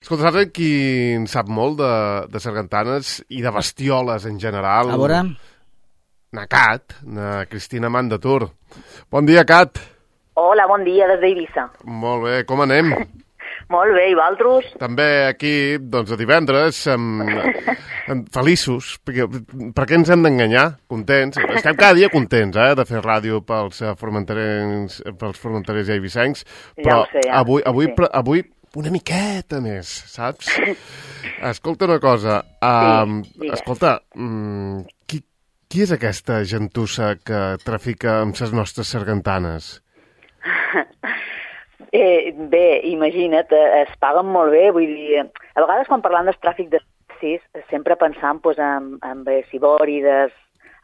Escolta, saps qui en sap molt de sargantanes i de bestioles en general? A veure... Na Cat, na Cristina Mandatur. Bon dia, Cat. Hola, bon dia, des d'Eivissa. Molt bé, com anem? Molt bé, i vosaltres? També aquí, doncs, a divendres, feliços, perquè per què ens hem d'enganyar? Contents. Estem cada dia contents, de fer ràdio pels formenterers i eivissencs, però ja sé, avui una miqueta més, saps? Escolta una cosa, escolta, qui és aquesta gentussa que trafica amb les nostres sargantanes? Bé, imagina't, es paguen molt bé, vull dir, a vegades quan parlant del tràfic d'espècies sempre pensam en cibòrides,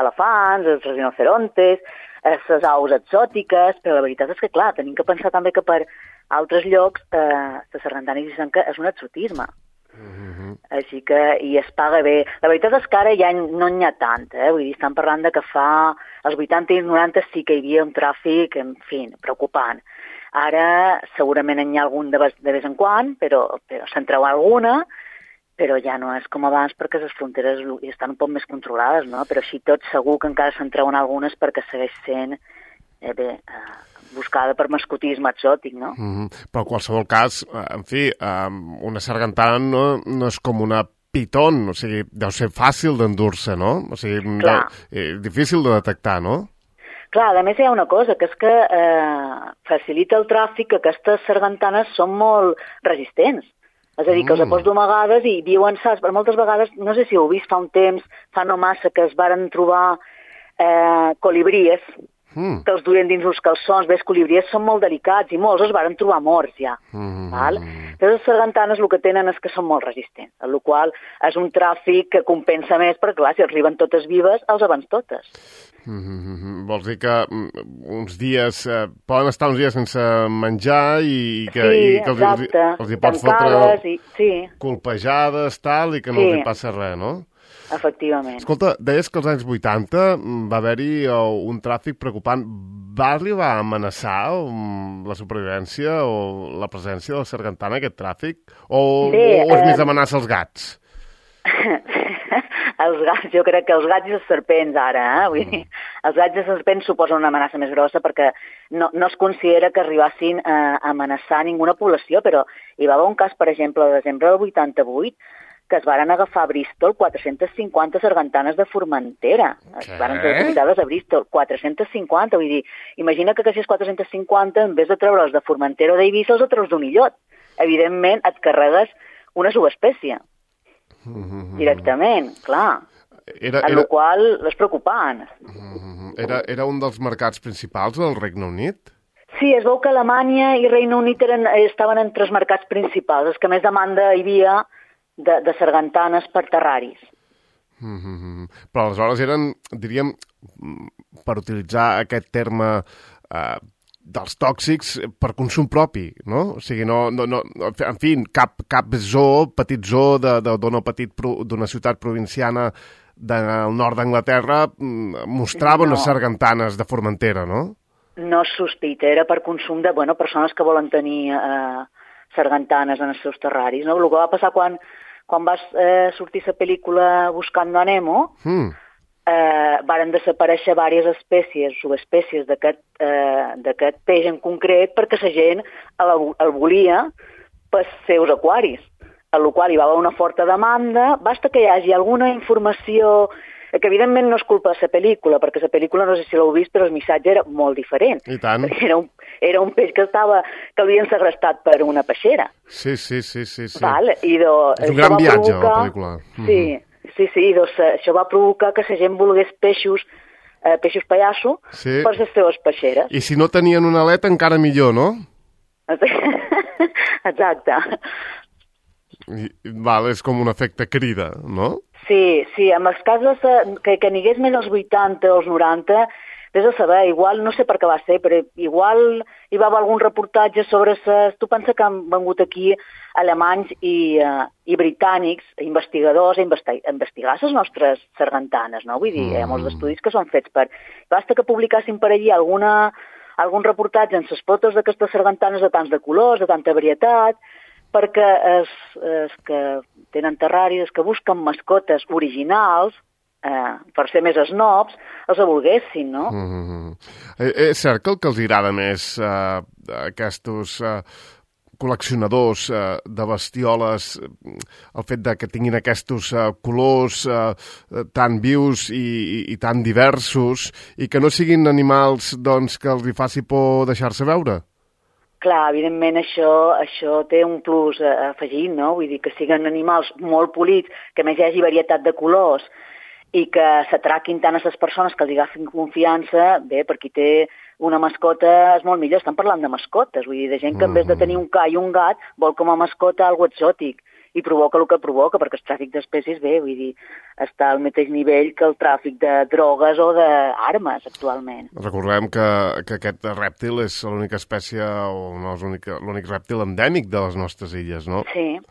elefants, els rinocerontes, les aus exòtiques, però la veritat és que, clar, tenim que pensar també que per altres llocs la sargantana eivissenca és un exotisme. Així que, i es paga bé. La veritat és que ara ja no n'hi ha tant, vull dir, estan parlant de que fa els 80 i 90 sí que hi havia un tràfic, en fi, preocupant. Ara segurament n'hi ha algun de vez en quan, però se'n treu alguna, però ja no és com abans perquè les fronteres estan un poc més controlades, no? Però així tot segur que encara se'n treuen algunes perquè segueix sent buscada per mascotisme exòtic, no? Però en qualsevol cas, en fi, una sargantana no és com una pitón, o sigui, deu ser fàcil d'endur-se, no? O sigui, difícil de detectar, no? Clar, a més hi ha una cosa, que és que facilita el tràfic que aquestes sargantanes són molt resistents. És a dir, que els pots domegades i viuen, saps? Per moltes vegades, no sé si ho heu vist fa un temps, fa no massa, que es varen trobar colibries, que els duien dins uns calçons. Bé, els colibries són molt delicats i molts es varen trobar morts ja. Val? Però les sargantanes el que tenen és que són molt resistents, el qual és un tràfic que compensa més, perquè clar, si arriben totes vives, els abans totes. Vols dir que uns dies poden estar uns dies sense menjar i que els hi pots fotre colpejades, tal, i que no els hi passa res, no? Efectivament. Escolta, deies que als anys 80 va haver-hi un tràfic preocupant. Va arribar a amenaçar la supervivència o la presència de la sargantana, aquest tràfic? O és més amenaça als gats? Els gats, jo crec que els gats i els serpents ara, vull dir, els gats i els serpents suposen una amenaça més grossa perquè no es considera que arribassin a amenaçar ninguna població, però hi va haver un cas, per exemple, al desembre del 88, que es varen agafar a Bristol 450 sargantanes de Formentera. Es varen ser depositades a Bristol, 450, vull dir, imagina que aquestes 450, en vez de treure'ls de Formentera o d'Eivissa, els treus d'un illot. Evidentment, et carregues una subespècie. Directament, clar. En la qual és preocupant. Era un dels mercats principals del Regne Unit? Sí, es veu que Alemanya i Regne Unit estaven entre els mercats principals, els que més demanda hi havia de sargantanes per terraris. Però aleshores eren, diríem, per utilitzar aquest terme dels tòxics per consum propi, no? O sigui, en fi, cap zoo, petit zoo d'una ciutat provinciana del nord d'Anglaterra mostrava unes sargantanes de Formentera, no? No es sospita, era per consum de persones que volen tenir sargantanes en els seus terraris, no? El que va passar quan va sortir la pel·lícula Buscando a Nemo, varen desaparèixer diverses espècies, subespècies d'aquest peix en concret perquè la gent el volia pels seus aquaris, en la qual hi va haver una forta demanda. Basta que hi hagi alguna informació, que evidentment no és culpa de la pel·lícula, perquè la pel·lícula no sé si l'heu vist, però el missatge era molt diferent. I tant. Era un peix que havien segrestat per una peixera. Sí. Val? És un gran viatge, la pel·lícula. Sí, això va provocar que la gent volgués peixos pallasso per les seves peixeres. I si no tenien una aleta, encara millor, no? Exacte. És com un efecte crida, no? Sí, en els casos que n'hi hagués més als 80 o als 90, vés a saber, igual, no sé per què va ser, però igual hi va haver algun reportatge sobre tu pensa que han vengut aquí alemanys i britànics, investigadors, a investigar les nostres sargantanes, no? Vull dir, hi ha molts estudis que són fets basta que publicassin per allí algun reportatge en les fotos d'aquestes sargantanes de tants de colors, de tanta varietat, perquè els que tenen terraris, els que busquen mascotes originals, per ser més snobs, els volguessin, no? És cert que el que els agrada més aquests col·leccionadors de bestioles, el fet de que tinguin aquests colors tan vius i tan diversos, i que no siguin animals doncs, que els hi faci por deixar-se veure? Clar, evidentment això té un plus afegit, no? Vull dir que siguin animals molt polits, que a més hi hagi varietat de colors, i que s'atraquin tant a les persones que els agafin confiança, bé, per qui té una mascota és molt millor. Estan parlant de mascotes, vull dir, de gent que en vez de tenir un ca i un gat vol com a mascota algo exòtic i provoca el que provoca, perquè el tràfic d'espècies, bé, vull dir, està al mateix nivell que el tràfic de drogues o d'armes actualment. Recordem que aquest rèptil és l'única espècie, o no és l'únic rèptil endèmic de les nostres illes, no? Sí.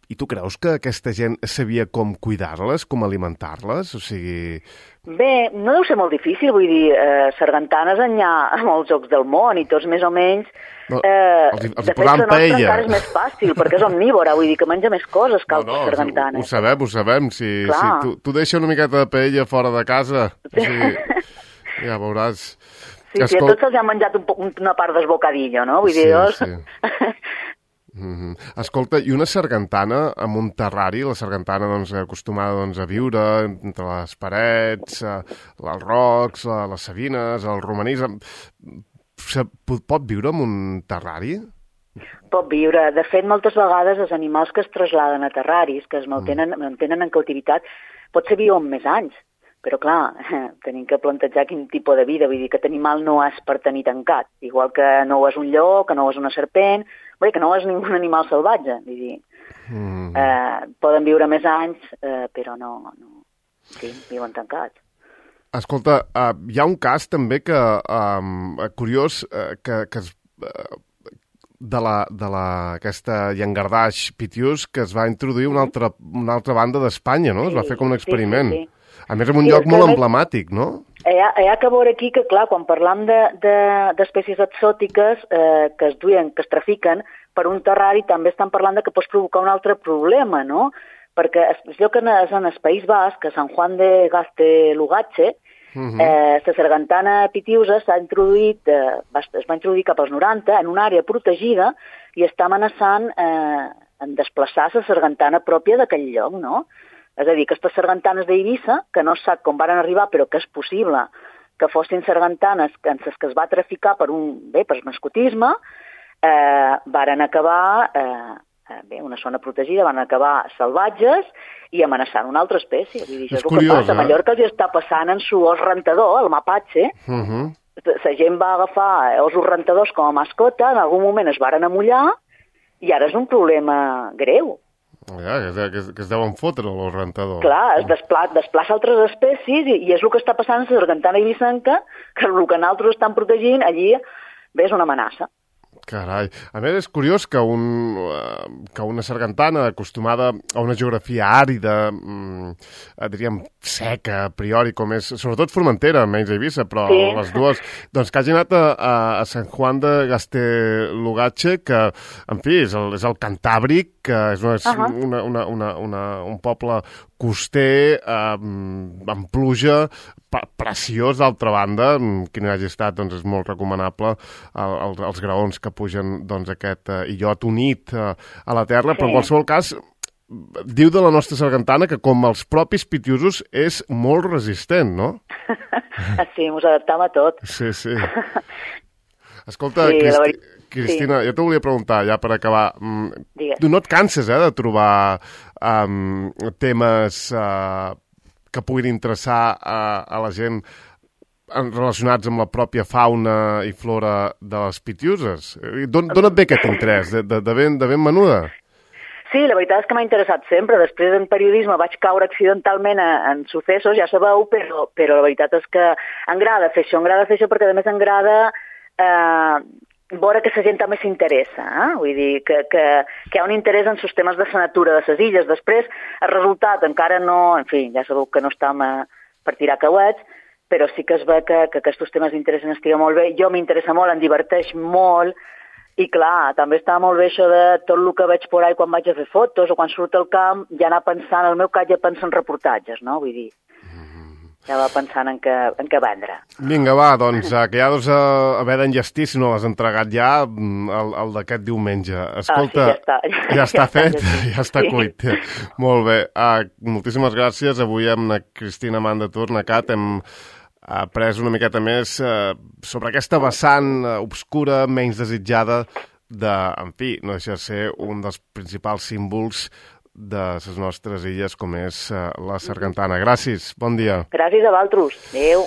I tu creus que aquesta gent sabia com cuidar-les, com alimentar-les? O sigui... Bé, no deu ser molt difícil, vull dir, sargantanes n'hi ha a molts jocs del món i tots més o menys... No, els de fet, posaven la nostra paella. encara és més fàcil, perquè és omnívora, vull dir que menja més coses que altres sargantanes. Ho sabem. Si tu deixa una miqueta de paella fora de casa, o sigui, ja veuràs... Sí, a tots se'ls ha menjat una part del bocadillo, no? Vull dir, Escolta, i una sargantana amb un terrari, la sargantana acostumada a viure entre les parets, els rocs, les sabines, el romanís, pot viure en un terrari? Pot viure. De fet, moltes vegades els animals que es traslladen a terraris, que es mantenen en cautivitat, potser viuen més anys. Però, clar, tenim que plantejar quin tipus de vida. Vull dir que aquest animal no és per tenir tancat. Igual que no ho és un lleó, que no ho és una serpent, que no és ningú animal salvatge. Vull dir, poden viure més anys, però no. Sí, viuen tancats. Escolta, hi ha un cas també que curiós que aquesta llangardaix pitius que es va introduir una altra banda d'Espanya, no? Es va fer com un experiment. Sí. A més, en un lloc molt emblemàtic, no? Hi ha que veure aquí que, clar, quan parlam d'espècies exòtiques que es duien, que es trafiquen per un terrari, també estan parlant que pots provocar un altre problema, no? Perquè el lloc és en el País Basc, a Sant Juan de Gaztelugatxe, la sargantana pitiusa es va introduir cap als 90 en una àrea protegida i està amenaçant en desplaçar la sargantana pròpia d'aquell lloc, no? És a dir, aquestes sargantanes d'Eivissa, que no sap com van arribar, però que és possible que fossin sargantanes en les que es va traficar per mascotisme, varen acabar, una zona protegida, van acabar salvatges i amenaçant una altra espècie. Vull dir, això és el que passa. A Mallorca els està passant en su os rentador, el mapatge. La gent va agafar osos rentadors com a mascota, en algun moment es varen amollar i ara és un problema greu. Ja, que es deuen fotre, el rentador. Clar, es desplaça altres espècies i és el que està passant a la sargantana eivissenca, que el que nosaltres estan protegint allí és una amenaça. Carai. A més, és curiós que una sargantana acostumada a una geografia àrida, diríem seca, a priori, com és, sobretot Formentera, menys Eivissa, però sí. Les dues, doncs que hagi anat a Sant Juan de Gaztelugatxe, que, en fi, és el Cantàbric, que és un poble coster, amb pluja, preciós, d'altra banda, qui no hagi estat, doncs és molt recomanable els graons que pugen aquest illot unit a la terra, però en qualsevol cas diu de la nostra sargantana que com els propis pitiusos és molt resistent, no? Sí, ens adaptam a tot. Sí. Escolta, sí, Cristina, jo t'ho volia preguntar, ja per acabar. Tu no et canses, de trobar temes que puguin interessar a la gent relacionats amb la pròpia fauna i flora de les pitiuses? D'on et ve aquest interès? De ben menuda? Sí, la veritat és que m'ha interessat sempre. Després en periodisme vaig caure accidentalment en successos, ja sabeu, però la veritat és que m'agrada fer això perquè a més m'agrada veure que la gent també s'interessa, vull dir que hi ha un interès en els temes de la natura de les illes. Després, el resultat encara no, en fi, ja sabeu que no estem per tirar cauets, però sí que es ve que aquests temes d'interès estiga molt bé. Jo m'interessa molt, em diverteix molt, I clar, també està molt bé això de tot el que veig por ahí quan vaig a fer fotos o quan surt al camp, ja anar pensant, el meu cas ja pensa en reportatges, no? Vull dir, ja va pensant en què vendre. Vinga, va, doncs, que ja deus haver d'enllestir, si no l'has entregat ja, el d'aquest diumenge. Escolta, ja està fet, ja està cuit. Molt bé, moltíssimes gràcies. Avui amb la Cristina Amanda Tornacat hem après una miqueta més sobre aquesta vessant obscura, menys desitjada de, en fi, no deixa de ser un dels principals símbols de les nostres illes, com és la sargantana. Gràcies, bon dia. Gràcies a vosaltres. Adéu.